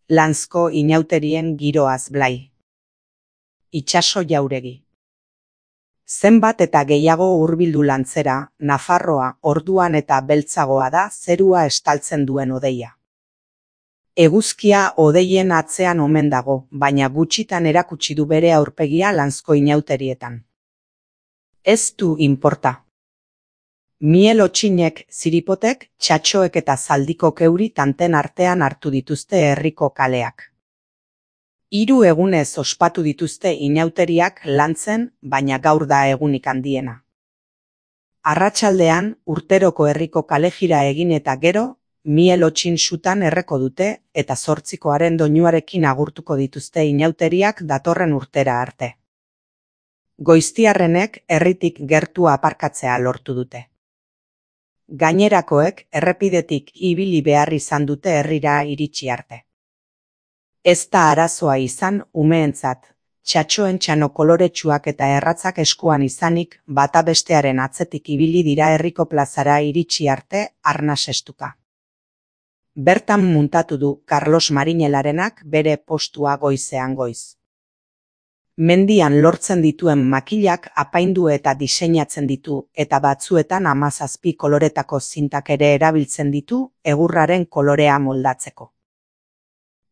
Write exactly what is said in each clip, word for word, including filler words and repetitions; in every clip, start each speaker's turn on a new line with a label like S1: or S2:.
S1: Lanzko inauterien giroaz blai. Itsaso jauregi. Zenbat eta gehiago hurbildu lantzera, Nafarroa orduan eta beltzagoa da zerua estaltzen duen odeia. Eguzkia odeien atzean omen dago, baina gutxitan erakutsi du bere aurpegia Lanzko inauterietan. Ez du inporta. Miel otxinek, ziripotek, txatxoek eta zaldikok euri tanten artean hartu dituzte herriko kaleak. Hiru egunez ospatu dituzte inauteriak lantzen, baina gaur da egunik handiena. Arratsaldean, urteroko herriko kalejira egin eta gero, miel otxin sutan erreko dute eta zortzikoaren doinuarekin agurtuko dituzte inauteriak datorren urtera arte. Goiztiarrenek herritik gertu aparkatzea lortu dute. Gainerakoek errepidetik ibili behar izan dute herrira iritsi arte. Ez da arazoa izan umeentzat, txatxoen txano koloretsuak eta erratzak eskuan izanik bata bestearen atzetik ibili dira herriko plazara iritsi arte arnas estuka. Bertan muntatu du Carlos Marinelarenak bere postua goizean goiz. Mendian lortzen dituen makilak apaindu eta diseinatzen ditu eta batzuetan hamazazpi koloretako zintak ere erabiltzen ditu egurraren kolorea moldatzeko.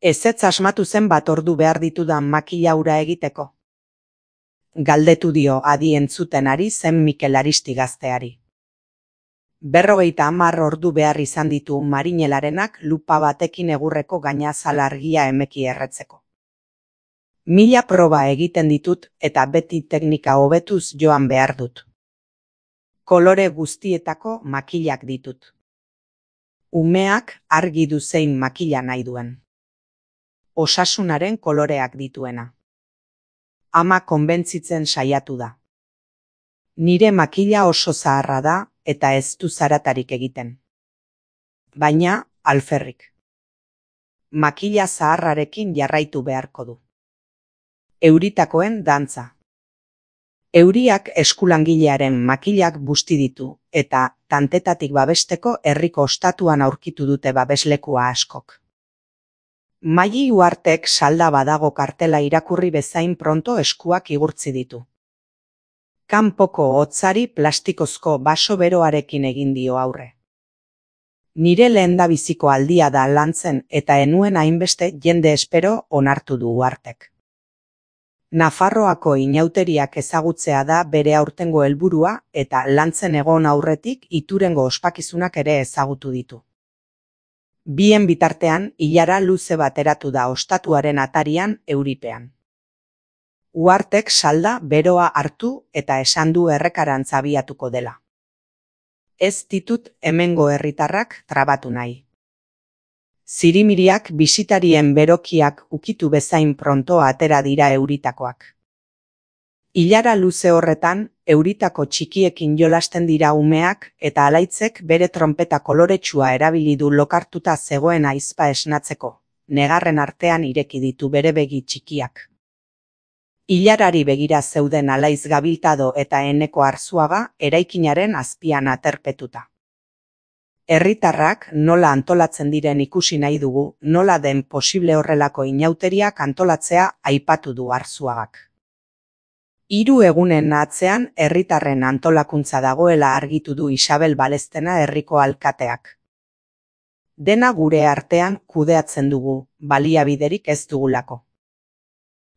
S1: Ezetz asmatu zen bat ordu behar ditudan makila hura egiteko? Galdetu dio adi entzuten ari zen Mikel Aristi gazteari. Berrogeita hamar ordu behar izan ditu Marinelarenak lupa batekin egurreko gainazal argia emeki erretzeko. Mila proba egiten ditut eta beti teknika hobetuz joan behar dut. Kolore guztietako makilak ditut. Umeak argi du zein makila nahi duen. Osasunaren koloreak dituena. Ama konbentzitzen saiatu da. Nire makila oso zaharra da eta ez du zaratarik egiten. Baina, alferrik. Makila zaharrarekin jarraitu beharko du. Euritakoen dantza. Euriak eskulangilearen makilak busti ditu eta tantetatik babesteko herriko ostatuan aurkitu dute babeslekua askok. Maili Uhartek salda badago kartela irakurri bezain pronto eskuak igurtzi ditu. Kanpoko hotzari plastikozko baso beroarekin egin dio aurre. Nire lehendabiziko aldia da lantzen eta enuen hainbeste jende espero onartu du Uhartek. Nafarroako inauteriak ezagutzea da bere aurtengo helburua eta lantzen egon aurretik Iturengo ospakizunak ere ezagutu ditu. Bien bitartean, ilara luze bateratu da ostatuaren atarian euripean. Uhartek salda beroa hartu eta esan du errekarantz abiatuko dela. Ez ditut hemengo herritarrak trabatu nahi. Zirimiriak bisitarien berokiak ukitu bezain pronto atera dira euritakoak. Ilara luze horretan, euritako txikiekin jolasten dira umeak eta alaitzek bere trompeta koloretsua erabili du lokartuta zegoen aizpa esnatzeko, negarren artean ireki ditu bere begi txikiak. Ilarari begira zeuden Alaiz Gabiltado eta Eneko Arzuaga eraikinaren azpian aterpetuta. Herritarrak nola antolatzen diren ikusi nahi dugu, nola den posible horrelako inauteriak antolatzea aipatu du Arzuagak. Hiru egunen atzean herritarren antolakuntza dagoela argitu du Isabel Balestena herriko alkateak. Dena gure artean kudeatzen dugu, baliabiderik ez dugulako.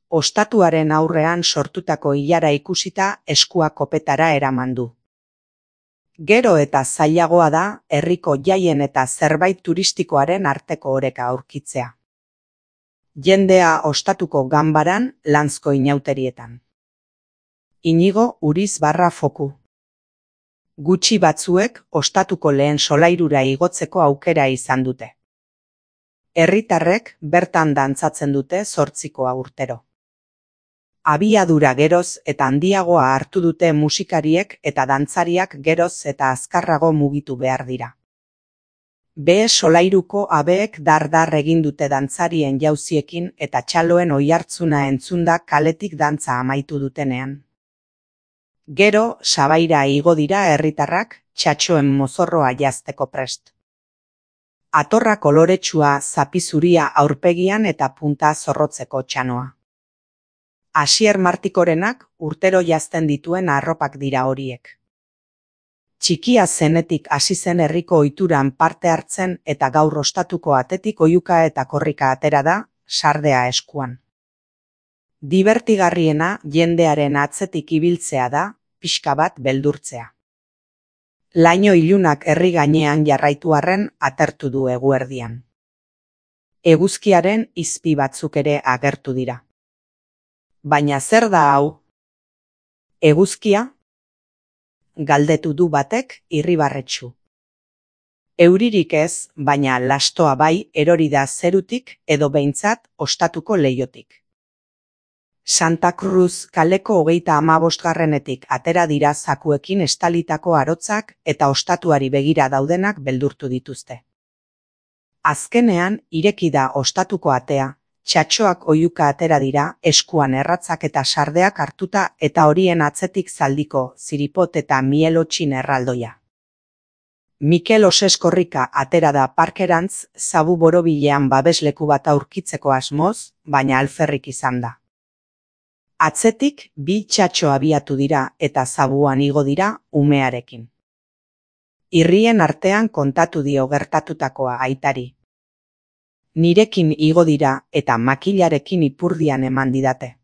S1: Ostatuaren aurrean sortutako ilara ikusita eskua kopetara eraman du. Gero eta zailagoa da herriko jaien eta zerbait turistikoaren arteko oreka aurkitzea. Jendea ostatuko ganbaran Lanzko inauterietan. Inigo Uriz barra foku. Gutxi batzuek ostatuko lehen solairura igotzeko aukera izan dute. Herritarrek bertan dantzatzen dute zortzikoa urtero. Abiadura geroz eta handiagoa hartu dute musikariek eta dantzariak geroz eta azkarrago mugitu behar dira. Behe solairuko abeek dar-dar egin dute dantzarien jauziekin eta txaloen oihartzuna entzunda kaletik dantza amaitu dutenean. Gero, sabaira igo dira herritarrak txatxoen mozorroa jazteko prest. Atorra koloretsua, zapi zuria aurpegian eta punta zorrotzeko txanoa. Asier Martikorenak urtero jazten dituen arropak dira horiek. Txikia zenetik hasi zen herriko ohituran parte hartzen eta gaur ostatuko atetik oihuka eta korrika atera da, sardea eskuan. Dibertigarriena jendearen atzetik ibiltzea da, pixka bat beldurtzea. Laino ilunak herri gainean jarraitu arren atertu du eguerdian. Eguzkiaren izpi batzuk ere agertu dira. Baina zer da hau? Eguzkia? Galdetu du batek irribarretsu. Euririk ez, baina lastoa bai erori da zerutik edo behintzat ostatuko leihotik. Santa Cruz kaleko hogeita hamabostgarrenetik atera dira zakuekin estalitako arotzak eta ostatuari begira daudenak beldurtu dituzte. Azkenean ireki da ostatuko atea, txatxoak oihuka atera dira eskuan erratzak eta sardeak hartuta eta horien atzetik zaldiko ziripot eta mielotxin erraldoia. Mikel Oseskorrika atera da parkerantz zabu borobilean babesleku bat aurkitzeko asmoz, baina alferrik izan da. Atzetik bi txatxo abiatu dira eta zabuan igo dira umearekin. Irrien artean kontatu dio gertatutakoa aitari. Nirekin igo dira eta makilarekin ipurdian eman didate.